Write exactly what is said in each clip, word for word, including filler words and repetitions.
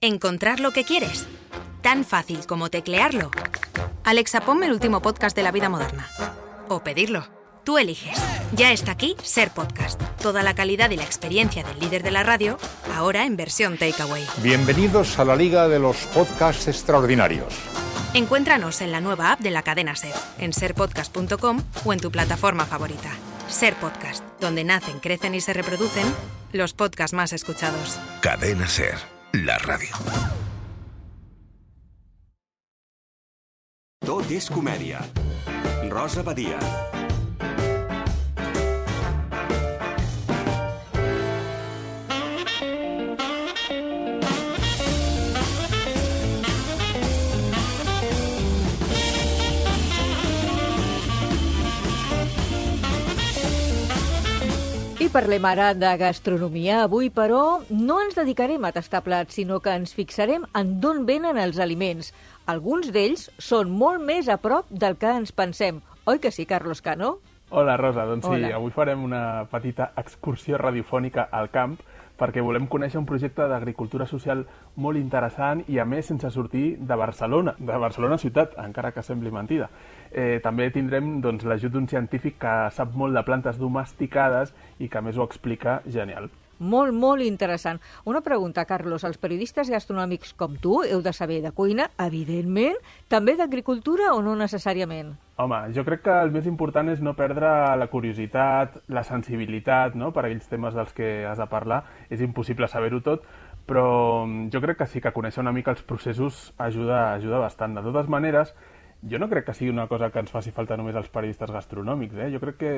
Encontrar lo que quieres. Tan fácil como teclearlo. Alexa, ponme el último podcast de la vida moderna. O pedirlo. Tú eliges. Ya está aquí Ser Podcast. Toda la calidad y la experiencia del líder de la radio, ahora en versión takeaway. Bienvenidos a la Liga de los Podcasts Extraordinarios. Encuéntranos en la nueva app de la cadena Ser, en ser podcast punto com o en tu plataforma favorita. Ser Podcast, donde nacen, crecen y se reproducen los podcasts más escuchados. Cadena Ser, la radio. Tot és comèdia. Rosa Badia. I parlem ara de gastronomia. Avui, però, no ens dedicarem a tastar plats, sinó que ens fixarem en d'on venen els aliments. Alguns d'ells són molt més a prop del que ens pensem. Oi que sí, Carlos Cano? Hola, Rosa. Doncs Hola. sí, avui farem una petita excursió radiofònica al camp perquè volem conèixer un projecte d'agricultura social molt interessant i, a més, sense sortir de Barcelona, de Barcelona ciutat, encara que sembli mentida. Eh, també tindrem doncs, l'ajut d'un científic que sap molt de plantes domesticades i que, a més, ho explica genial. Molt, molt interessant. Una pregunta, Carlos. Els periodistes gastronòmics com tu heu de saber de cuina, evidentment, també d'agricultura o no necessàriament? Home, jo crec que el més important és no perdre la curiositat, la sensibilitat, no?, per aquells temes dels que has de parlar. És impossible saber-ho tot, però jo crec que sí que conèixer una mica els processos ajuda, ajuda bastant. De totes maneres, jo no crec que sigui una cosa que ens faci falta només als periodistes gastronòmics, eh? Jo crec que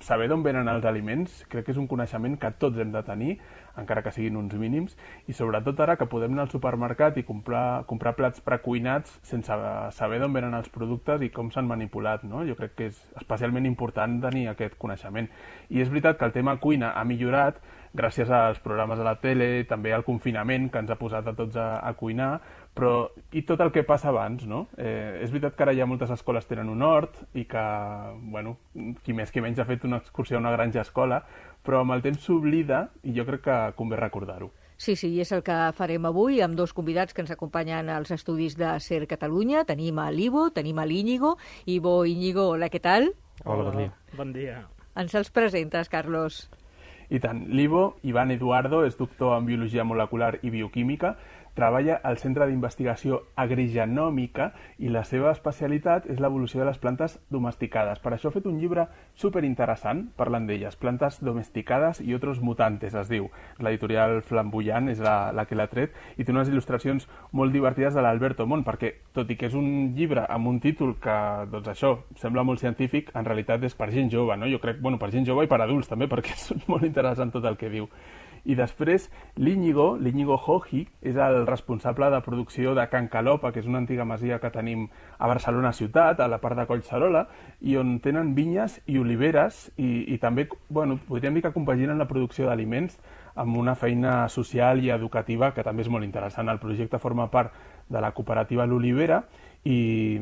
saber d'on venen els aliments crec que és un coneixement que tots hem de tenir, encara que siguin uns mínims, i sobretot ara que podem anar al supermercat i comprar, comprar plats precuinats sense saber d'on venen els productes i com s'han manipulat, no? Jo crec que és especialment important tenir aquest coneixement. I és veritat que el tema cuina ha millorat gràcies als programes de la tele, també al confinament que ens ha posat a tots a, a cuinar, però i tot el que passa abans, no? Eh, és veritat que ara ja moltes escoles tenen un hort i que, bueno, qui més qui menys ha fet una excursió a una granja escola, però amb el temps s'oblida i jo crec que convé recordar-ho. Sí, sí, i és el que farem avui amb dos convidats que ens acompanyen als estudis de Ser Catalunya. Tenim a l'Ivo, tenim a l'Íñigo. Ivo, Íñigo, hola, què tal? Hola, bon dia. Bon dia. Ens els presentes, Carlos. I tant, l'Ivo, Iván Eduardo, és doctor en Biologia Molecular i Bioquímica, treballa al Centre d'Investigació Agrigenòmica i la seva especialitat és l'evolució de les plantes domesticades. Per això ha fet un llibre superinteressant parlant d'elles, Plantes domesticades i otros mutantes, es diu. L'editorial Flamboyant és la, la que l'ha tret i té unes il·lustracions molt divertides de l'Alberto Mont, perquè tot i que és un llibre amb un títol que, doncs això, sembla molt científic, en realitat és per gent jove, no? Jo crec, bueno, per gent jove i per adults també, perquè és molt interessant tot el que diu. I després l'Íñigo, l'Íñigo Joji, és el responsable de producció de Can Calopa, que és una antiga masia que tenim a Barcelona ciutat, a la part de Collserola, i on tenen vinyes i oliveres, i, i també, bueno, podríem dir que compaginen la producció d'aliments amb una feina social i educativa que també és molt interessant. El projecte forma part de la cooperativa L'Olivera i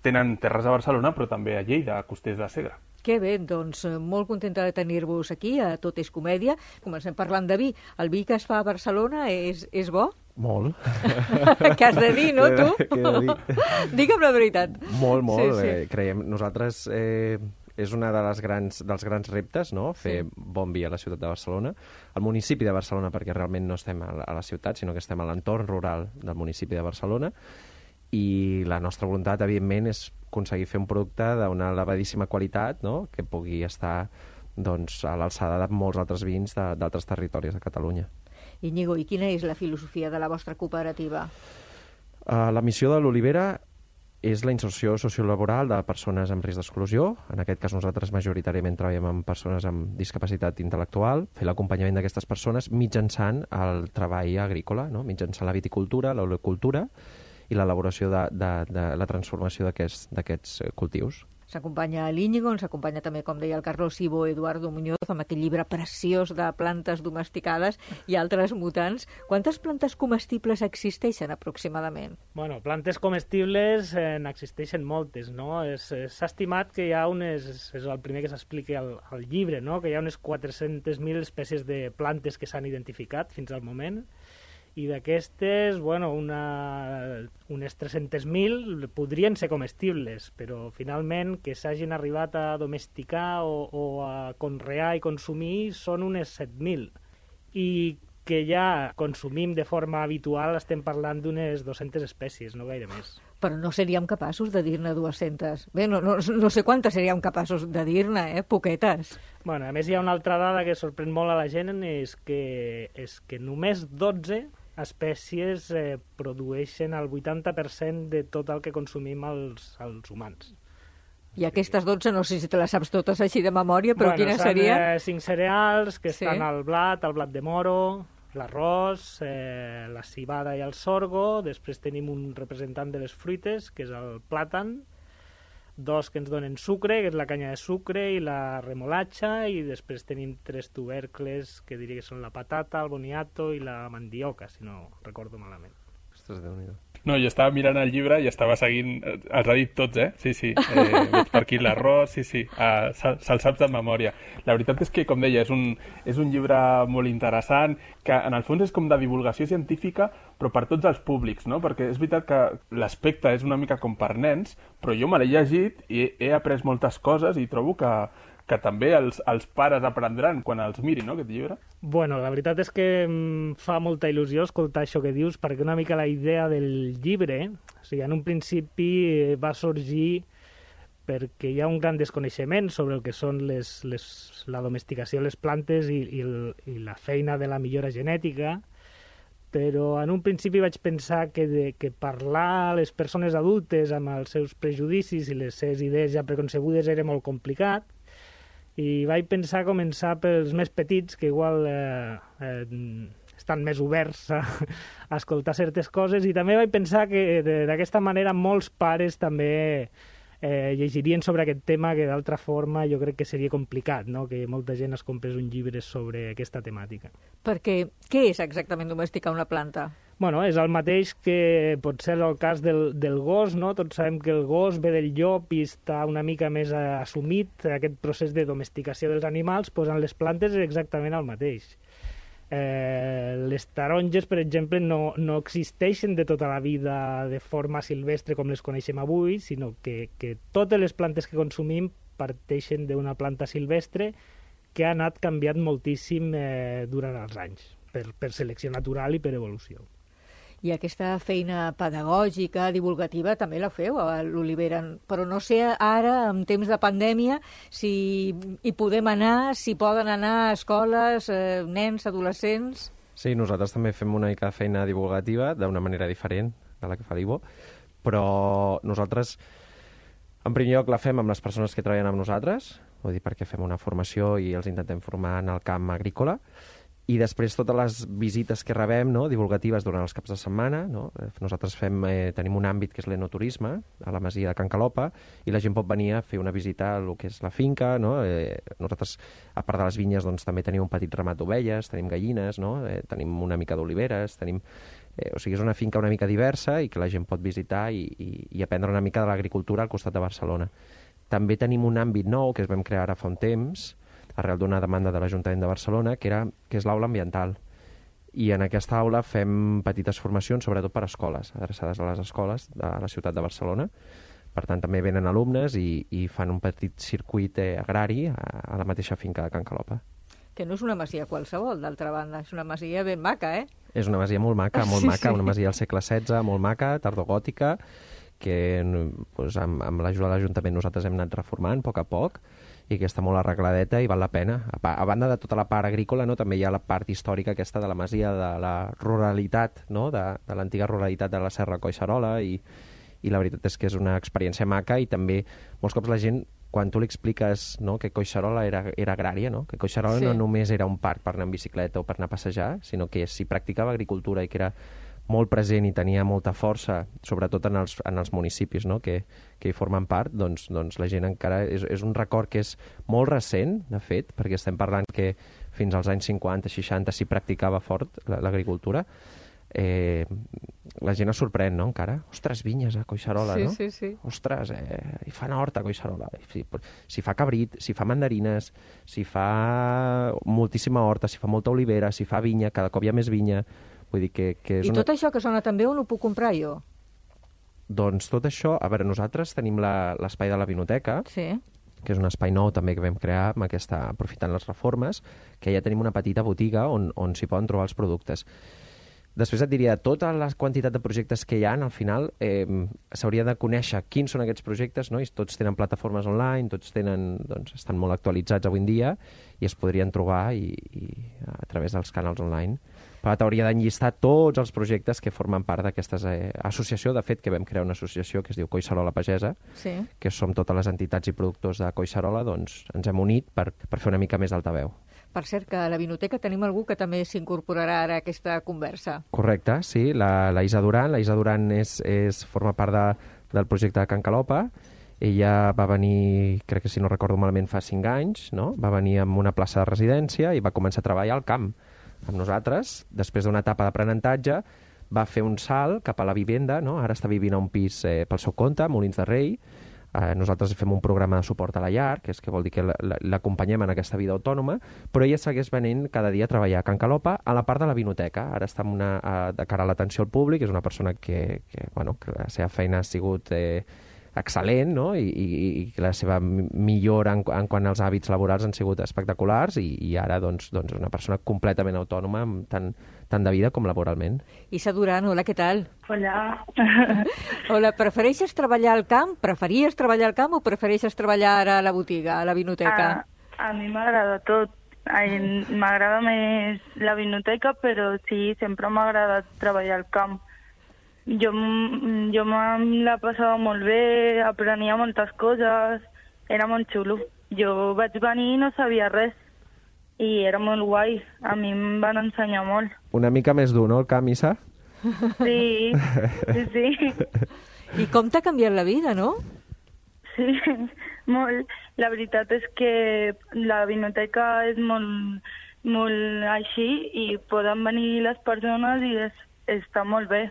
tenen terres a Barcelona, però també a Lleida, a Costers de Segre. Que bé, doncs molt contenta de tenir-vos aquí, a Tot és Comèdia. Comencem parlant de vi. El vi que es fa a Barcelona és, és bo? Molt. Què has de dir, no, tu? Què he de dir? Digue'm la veritat. Molt, molt. Sí, sí. Eh, creiem, nosaltres eh, és una de les grans, dels grans reptes, no?, fer sí. bon vi a la ciutat de Barcelona, al municipi de Barcelona, perquè realment no estem a la, a la ciutat, sinó que estem a l'entorn rural del municipi de Barcelona, i la nostra voluntat, evidentment, és aconseguir fer un producte d'una elevadíssima qualitat, no?, que pugui estar doncs, a l'alçada de molts altres vins d'altres territoris de Catalunya. Íñigo, i quina és la filosofia de la vostra cooperativa? Uh, la missió de l'Olivera és la inserció sociolaboral de persones amb risc d'exclusió. En aquest cas nosaltres majoritàriament treballem amb persones amb discapacitat intel·lectual, fer l'acompanyament d'aquestes persones mitjançant el treball agrícola, no?, mitjançant la viticultura, l'oleocultura i l'elaboració de, de, de la transformació d'aquests cultius. S'acompanya l'Íñigo, ens acompanya també, com deia el Carlos, Ivo Eduardo Muñoz, amb aquell llibre preciós de plantes domesticades i altres mutants. Quantes plantes comestibles existeixen aproximadament? Bueno, plantes comestibles eh, n'existeixen moltes, no? S'ha estimat que hi ha unes, és el primer que s'explica al, al llibre, no?, que hi ha unes quatre-centes mil espècies de plantes que s'han identificat fins al moment, i d'aquestes, bueno, una, unes tres-centes mil podrien ser comestibles, però finalment que s'hagin arribat a domesticar o, o a conrear i consumir són unes set mil. I que ja consumim de forma habitual estem parlant d'unes dues-centes espècies, no gaire més. Però no seríem capaços de dir-ne dues-centes. Bé, no, no, no sé quantes seríem capaços de dir-ne, eh? Poquetes. Bueno, a més hi ha una altra dada que sorprèn molt a la gent, és que, és que només dotze espècies eh, produeixen el vuitanta per cent de tot el que consumim els, els humans. I aquestes dotze, no sé si te les saps totes així de memòria, però bueno, quina seria? Bueno, són cinc cereals, que sí. estan al blat, el blat de moro, l'arròs, eh, la civada i el sorgo, després tenim un representant de les fruites, que és el plàtan, dos que ens donen sucre, que és la canya de sucre i la remolatxa, i després tenim tres tubercles, que diria que són la patata, el boniato i la mandioca, si no recordo malament. Ostres, Déu-n'hi-do. No, jo estava mirant el llibre i estava seguint... Els ha dit tots, eh? Sí, sí. Eh, veig per aquí l'arròs, sí, sí. Uh, Se'l se saps de memòria. La veritat és que, com deia, és un, és un llibre molt interessant, que en el fons és com de divulgació científica, però per tots els públics, no? Perquè és veritat que l'aspecte és una mica com per nens, però jo me l'he llegit i he, he après moltes coses i trobo que, que també els, els pares aprendran quan els mirin, no?, aquest llibre. Bueno, la veritat és que em fa molta il·lusió escoltar això que dius, perquè una mica la idea del llibre, o sigui, en un principi va sorgir perquè hi ha un gran desconeixement sobre el que són les, les, la domesticació de les plantes i, i, el, i la feina de la millora genètica, però en un principi vaig pensar que, de, que parlar a les persones adultes amb els seus prejudicis i les seves idees ja preconcebudes era molt complicat, i vaig pensar començar pels més petits, que igual eh, eh, estan més oberts a, a escoltar certes coses, i també vaig pensar que d'aquesta manera molts pares també eh, llegirien sobre aquest tema, que d'altra forma jo crec que seria complicat, no?, que molta gent es comprés un llibre sobre aquesta temàtica. Perquè què és exactament domesticar una planta? Bueno, és el mateix que pot ser el cas del, del gos, no? Tots sabem que el gos ve del llop i està una mica més assumit aquest procés de domesticació dels animals, doncs en les plantes és exactament el mateix. Eh, les taronges, per exemple, no, no existeixen de tota la vida de forma silvestre com les coneixem avui, sinó que, que totes les plantes que consumim parteixen d'una planta silvestre que ha anat canviant moltíssim eh, durant els anys, per, per selecció natural i per evolució. I aquesta feina pedagògica, divulgativa, també la feu a l'Olivera. Però no sé ara, en temps de pandèmia, si hi podem anar, si poden anar a escoles, eh, nens, adolescents... Sí, nosaltres també fem una mica de feina divulgativa d'una manera diferent de la que fa l'Ivo, però nosaltres, en primer lloc, la fem amb les persones que treballen amb nosaltres, vull dir, perquè fem una formació i els intentem formar en el camp agrícola, i després totes les visites que rebem, no?, divulgatives durant els caps de setmana, no? Nosaltres fem, eh, tenim un àmbit que és l'enoturisme a la masia de Can Calopa, i la gent pot venir a fer una visita al que és la finca, no? Eh, nosaltres, a part de les vinyes, doncs, també tenim un petit ramat d'ovelles, tenim gallines, no? Eh, tenim una mica d'oliveres, tenim... Eh, o sigui, és una finca una mica diversa i que la gent pot visitar i, i, i aprendre una mica de l'agricultura al costat de Barcelona. També tenim un àmbit nou que es vam crear ara fa un temps, arrel d'una demanda de l'Ajuntament de Barcelona, que, era, que és l'aula ambiental. I en aquesta aula fem petites formacions, sobretot per a escoles, adreçades a les escoles de la ciutat de Barcelona. Per tant, també venen alumnes i, i fan un petit circuit eh, agrari a, a la mateixa finca de Can Calopa. Que no és una masia qualsevol, d'altra banda. És una masia ben maca, eh? És una masia molt maca, molt sí, maca, sí. Una masia del segle setze, molt maca, tardogòtica, que doncs, amb, amb l'ajuda de l'Ajuntament nosaltres hem anat reformant a poc a poc, i que està molt arregladeta i val la pena. A, a banda de tota la part agrícola, no, també hi ha la part històrica aquesta de la masia, de la ruralitat, no, de, de l'antiga ruralitat de la Serra Collserola, i, i la veritat és que és una experiència maca, i també molts cops la gent, quan tu li expliques, no, que Collserola era, era agrària, no? Que Collserola sí. no només era un parc per anar en bicicleta o per anar a passejar, sinó que s'hi practicava agricultura i que era molt present i tenia molta força, sobretot en els, en els municipis, no?, que, que hi formen part, doncs, doncs la gent encara... És, és un record que és molt recent, de fet, perquè estem parlant que fins als anys cinquanta, seixanta s'hi practicava fort l'agricultura. Eh, la gent es sorprèn, no?, encara. Ostres, vinyes a Collserola, sí, no? Sí, sí. Ostres, eh, hi fan hort a Collserola. S'hi si fa cabrit, s'hi fa mandarines, s'hi fa moltíssima horta, s'hi fa molta olivera, s'hi fa vinya, cada cop hi ha més vinya. Vull dir que, que és I una... tot això que sona tan bé, on ho puc comprar jo? Doncs tot això... A veure, nosaltres tenim la- l'espai de la Vinoteca, Sí. que és un espai nou també que vam crear amb aquesta, aprofitant les reformes, que ja tenim una petita botiga on, on s'hi poden trobar els productes. Després et diria, tota la quantitat de projectes que hi ha, al final, eh, s'hauria de conèixer quins són aquests projectes, no? I tots tenen plataformes online, tots tenen, doncs, estan molt actualitzats avui en dia i es podrien trobar i, i a través dels canals online. Però t'hauria d'enllistar tots els projectes que formen part d'aquesta eh, associació. De fet, que vam crear una associació que es diu Collserola Pagesa, Sí. que som totes les entitats i productors de Collserola, doncs ens hem unit per, per fer una mica més d'altaveu. Per cert, que a la Vinoteca tenim algú que també s'incorporarà ara a aquesta conversa. Correcte, sí, la, la Isa Duran. La Isa Duran és, és, forma part de, del projecte de Can Calopa. Ella va venir, crec que si no recordo malament, fa cinc anys, no? Va venir amb una plaça de residència i va començar a treballar al camp amb nosaltres. Després d'una etapa d'aprenentatge, va fer un salt cap a la vivenda, no? Ara està vivint a un pis eh, pel seu compte, a Molins de Rei. Eh, nosaltres fem un programa de suport a la llar, que és que vol dir que la- la- l'acompanyem en aquesta vida autònoma, però ella segueix venint cada dia a treballar a Can Calopa a la part de la vinoteca. Ara està amb una, a, de cara a l'atenció al públic, és una persona que, que, bueno, que la seva feina ha sigut eh, excel·lent, no? I, i, i que la seva mi- millora en, en quant als hàbits laborals han sigut espectaculars i, i ara doncs, doncs és una persona completament autònoma, amb tant, tant de vida com laboralment. Isa Duran, hola, què tal? Hola. Hola, prefereixes treballar al camp? Preferies treballar al camp o prefereixes treballar ara a la botiga, a la vinoteca? A, a mi m'agrada tot. Ai, M'agrada més la vinoteca, però sí, sempre m'ha agradat treballar al camp. Jo, m- jo me la passava molt bé, aprenia moltes coses, era molt xulo. Jo vaig venir i no sabia res, i era molt guai. A mi em van ensenyar molt. Una mica més dur, no, el camp, Issa? Sí, sí, sí. I com t'ha canviat la vida, no? Sí, molt. La veritat és que la vinoteca és molt, molt així i poden venir les persones i és, està molt bé.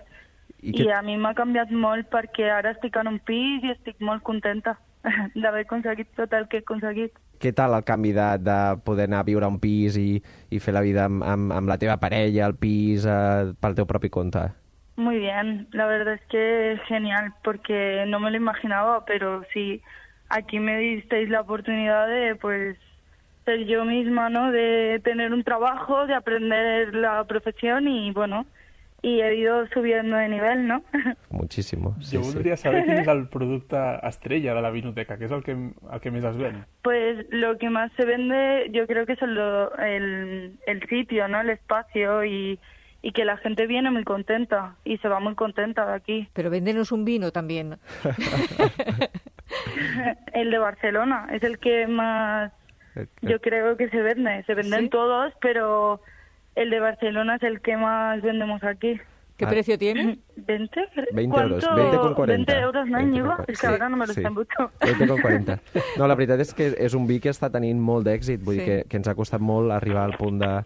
I I, que- I a mi m'ha canviat molt perquè ara estic en un pis i estic molt contenta d'haver aconseguit tot el que he aconseguit. Què tal el canvi de, de poder anar a viure a un pis i, i fer la vida amb, amb, amb la teva parella, al pis, eh, pel teu propi compte? Muy bien, la verdad es que es genial porque no me lo imaginaba, pero sí, aquí me disteis la oportunidad de pues ser yo misma, ¿no? De tener un trabajo, de aprender la profesión y bueno, y he ido subiendo de nivel, ¿no? Muchísimo. Sí, Jo voldria sí. saber quin és el producte estrella de la vinoteca, que és el que, el que més es ven. Pues lo que más se vende yo creo que es el, el, el sitio, ¿no? El espacio y, y que la gente viene muy contenta y se va muy contenta de aquí. Pero véndenos un vino también. El de Barcelona es el que más, yo creo que se vende. Se venden ¿Sí? todos, pero el de Barcelona es el que más vendemos aquí. ¿Qué Ah. precio tiene? ¿veinte? veinte euros, ¿Cuánto? veinte con cuarenta. veinte euros, no, veinte Íñigo? con És que ara no me lo sí. sé mucho. veinte con quaranta. No, la veritat és que és un vi que està tenint molt d'èxit, vull Sí. dir que, que ens ha costat molt arribar al punt de,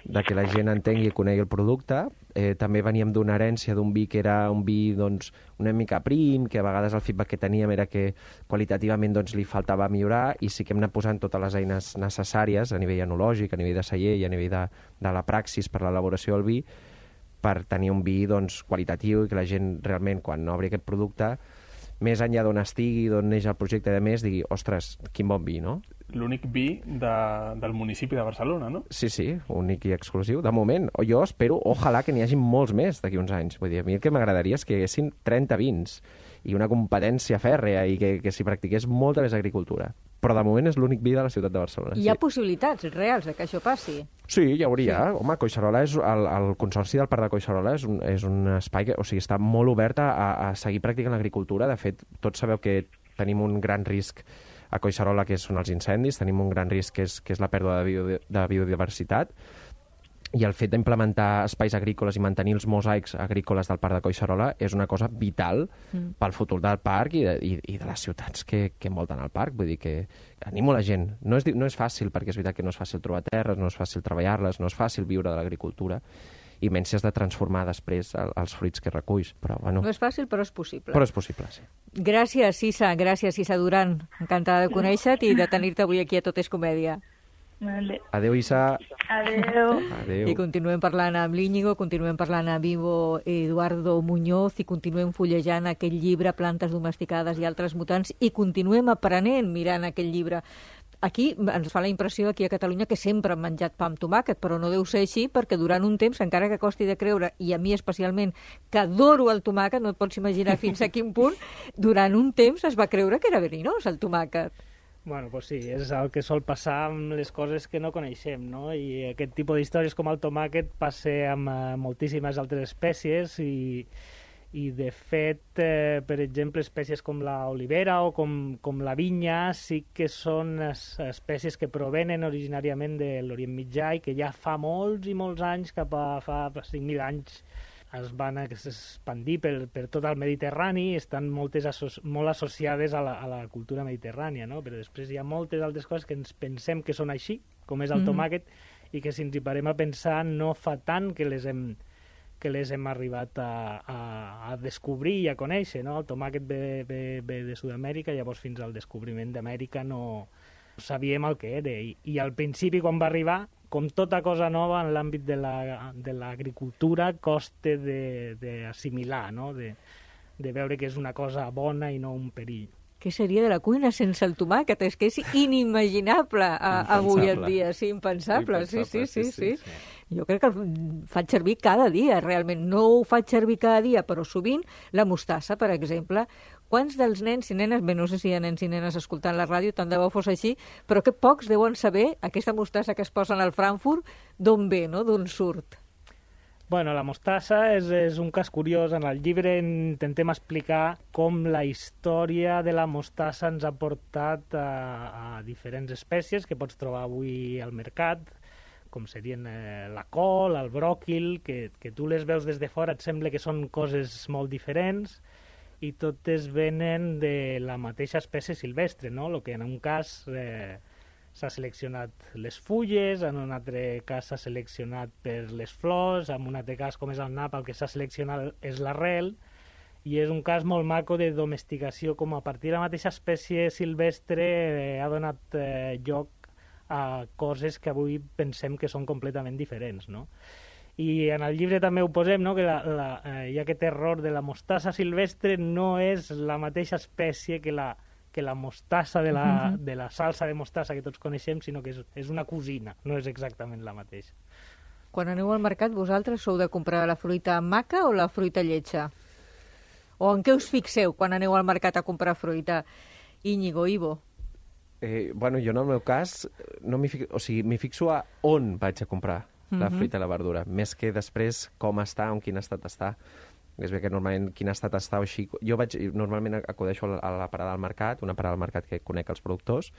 de que la gent entengui i conegui el producte. Eh, també veníem d'una herència d'un vi que era un vi doncs, una mica prim, que a vegades el feedback que teníem era que qualitativament doncs, li faltava millorar i sí que hem anat posant totes les eines necessàries a nivell enològic, a nivell de celler i a nivell de, de la praxis per l'elaboració del vi per tenir un vi doncs, qualitatiu i que la gent realment quan obri aquest producte més enllà d'on estigui, d'on neix el projecte de més, digui, ostres, quin bon vi, no? L'únic vi de, del municipi de Barcelona, no? Sí, sí, únic i exclusiu. De moment, o jo espero, ojalà que n'hi hagi molts més d'aquí uns anys. Vull dir, a mi el que m'agradaria és que hi haguessin trenta vins i una competència fèrrea i que, que s'hi practiqués molta més agricultura. Però de moment és l'únic vi de la ciutat de Barcelona. Hi ha possibilitats reals de que això passi? Sí, hi hauria. Sí. Home, Collserola és, el, el Consorci del Parc de Collserola és un, és un espai que, o sigui, està molt obert a, a seguir practicant l'agricultura. De fet, tots sabeu que tenim un gran risc a Collserola, que són els incendis, tenim un gran risc que és, que és la pèrdua de, bio, de biodiversitat, i el fet d'implementar espais agrícoles i mantenir els mosaics agrícoles del Parc de Collserola és una cosa vital mm. pel futur del parc i de, i, i de les ciutats que, que envolten el parc. Vull dir que animo la gent. No és, no és fàcil, perquè és veritat que no és fàcil trobar terres, no és fàcil treballar-les, no és fàcil viure de l'agricultura, i menys si has de transformar després el, els fruits que reculls. Però, bueno, No és fàcil, però és possible. però és possible, sí. Gràcies, Issa. Gràcies, Issa Duran. Encantada de conèixer-te i de tenir-te avui aquí a Tot és Comèdia. Vale. Adéu, Issa. Adéu. Adéu. I continuem parlant amb l'Íñigo, continuem parlant amb Ivo Eduardo Muñoz i continuem fullejant aquell llibre Plantes domesticades i altres mutants i continuem aprenent mirant aquell llibre. Aquí ens fa la impressió, aquí a Catalunya, que sempre hem menjat pa amb tomàquet, però no deu ser així, perquè durant un temps, encara que costi de creure, i a mi especialment, que adoro el tomàquet, no et pots imaginar fins a quin punt, durant un temps es va creure que era verinós el tomàquet. Bueno, pues sí, és el que sol passar amb les coses que no coneixem, no? I aquest tipus d'històries com el tomàquet passa amb uh, moltíssimes altres espècies i, i de fet, eh, per exemple, espècies com l'olivera o com, com la vinya sí que són es, espècies que provenen originàriament de l'Orient Mitjà i que ja fa molts i molts anys, cap a fa cinc mil anys, es van expandir per, per tot el Mediterrani i estan moltes asso molt associades a la, a la cultura mediterrània, no? Però després hi ha moltes altres coses que ens pensem que són així, com és el mm-hmm. tomàquet, i que si ens hi parem a pensar no fa tant que les hem, que les hem arribat a, a, a descobrir i a conèixer, no? El tomàquet ve, ve, ve de Sud-amèrica, llavors fins al descobriment d'Amèrica no sabíem el que era, i, i al principi quan va arribar, com tota cosa nova en l'àmbit de l'agricultura, la, costa d'assimilar, no? de, de veure que és una cosa bona i no un perill. Què seria de la cuina sense el tomàquet? És que és inimaginable a, avui en dia, sí, impensable, impensable. Sí, sí, sí, sí, sí. sí. Jo crec que el faig servir cada dia, realment. No ho faig servir cada dia, però sovint la mostassa, per exemple. Quants dels nens i nenes, bé, no sé si hi ha nens i nenes escoltant la ràdio, tant de bo fos així, però que pocs deuen saber aquesta mostassa que es posen al Frankfurt, d'on ve, no? D'on surt. Bueno, la mostassa és, és un cas curiós. En el llibre intentem explicar com la història de la mostassa ens ha portat a, a diferents espècies que pots trobar avui al mercat, com serien eh, la col, el bròquil, que, que tu les veus des de fora, et sembla que són coses molt diferents, i totes venen de la mateixa espècie silvestre, no? El que en un cas eh, s'ha seleccionat les fulles, en un altre cas s'ha seleccionat per les flors, en un altre cas, com és el nap, el que s'ha seleccionat és l'arrel, i és un cas molt maco de domesticació, com a partir de la mateixa espècie silvestre eh, ha donat eh, lloc a coses que avui pensem que són completament diferents, no? I en el llibre també ho posem, no? Que la, la, eh, hi ha aquest error de la mostassa silvestre no és la mateixa espècie que la, que la mostassa de la, uh-huh. de la salsa de mostassa que tots coneixem, sinó que és, és una cosina, no és exactament la mateixa. Quan aneu al mercat, vosaltres sou de comprar la fruita maca o la fruita lletja? O en què us fixeu quan aneu al mercat a comprar fruita? Íñigo, Ivo? Eh, bueno, jo en el meu cas, no m'hi fixo, o sigui, m'hi fixo a on vaig a comprar la mm-hmm. fruita i la verdura, més que després com està o en quin estat està. És bé que normalment quin estat està o així... Jo vaig, normalment acudeixo a la parada del mercat, una parada del mercat que conec els productors,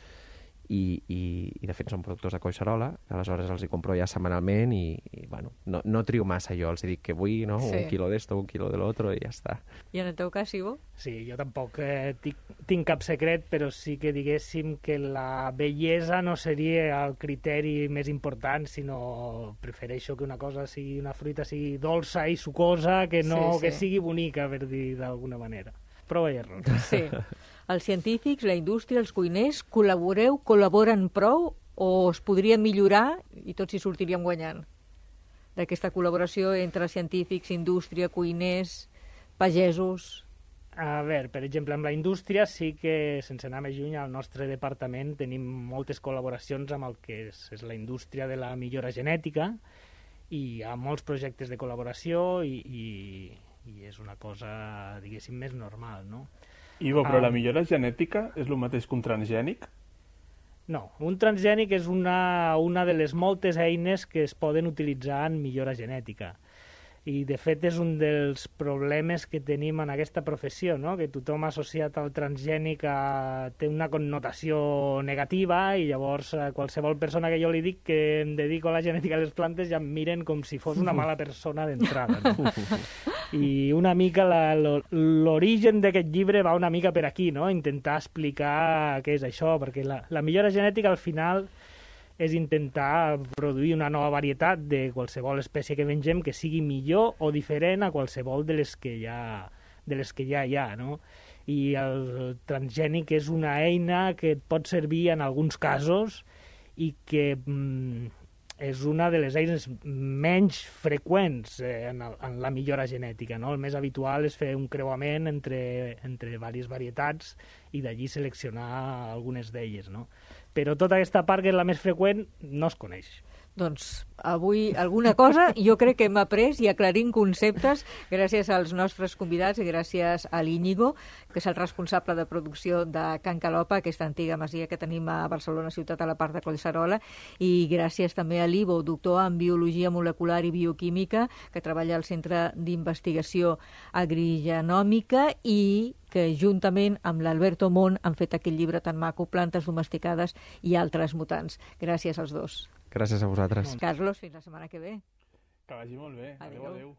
i, i, i de fet són productors de Collserola, aleshores els hi compro ja setmanalment i, i bueno, no, no trio massa jo, els dic que vull, no? Sí. Un quilo d'esto, un quilo de l'altre i ja està. I en el teu cas, Ivo? Sí, jo tampoc eh, tinc, tinc cap secret, però sí que diguéssim que la bellesa no seria el criteri més important, sinó prefereixo que una cosa sigui, una fruita sigui dolça i sucosa, que no sí, sí. que sigui bonica, per dir d'alguna manera. Prova i error. Sí. Els científics, la indústria, els cuiners, col·laboreu, col·laboren prou o es podria millorar i tots hi sortiríem guanyant? D'aquesta col·laboració entre científics, indústria, cuiners, pagesos... A veure, per exemple, amb la indústria sí que, sense anar més lluny, al nostre departament tenim moltes col·laboracions amb el que és, és la indústria de la millora genètica i hi ha molts projectes de col·laboració i... i i és una cosa, diguéssim, més normal, no? Ivo, però ah, la millora genètica és el mateix que un transgènic? No, un transgènic és una, una de les moltes eines que es poden utilitzar en millora genètica. I, de fet, és un dels problemes que tenim en aquesta professió, no? Que tothom associat al transgènic a... té una connotació negativa i llavors qualsevol persona que jo li dic que em dedico a la genètica de les plantes ja em miren com si fos una mala persona d'entrada, no? I una mica l'origen d'aquest llibre va una mica per aquí, no? Intentar explicar què és això, perquè la, la millora genètica al final és intentar produir una nova varietat de qualsevol espècie que mengem que sigui millor o diferent a qualsevol de les que ja, de les que ja hi ha, no? I el transgènic és una eina que et pot servir en alguns casos i que mm, és una de les eines menys freqüents eh, en, el, en la millora genètica, no? El més habitual és fer un creuament entre, entre diverses varietats i d'allí seleccionar algunes d'elles, no? Però tota aquesta part, que és la més freqüent, no es coneix. Doncs avui alguna cosa jo crec que hem après i aclarim conceptes gràcies als nostres convidats i gràcies a l'Íñigo, que és el responsable de producció de Can Calopa, aquesta antiga masia que tenim a Barcelona ciutat, a la part de Collserola, i gràcies també a l'Ivo, doctor en Biologia Molecular i Bioquímica, que treballa al Centre d'Investigació Agrigenòmica i que juntament amb l'Alberto Mon han fet aquell llibre tan maco, Plantes domesticades i altres mutants. Gràcies als dos. Gràcies a vosaltres. Carlos, fins la setmana que ve. Que vagi molt bé. Adéu, adéu.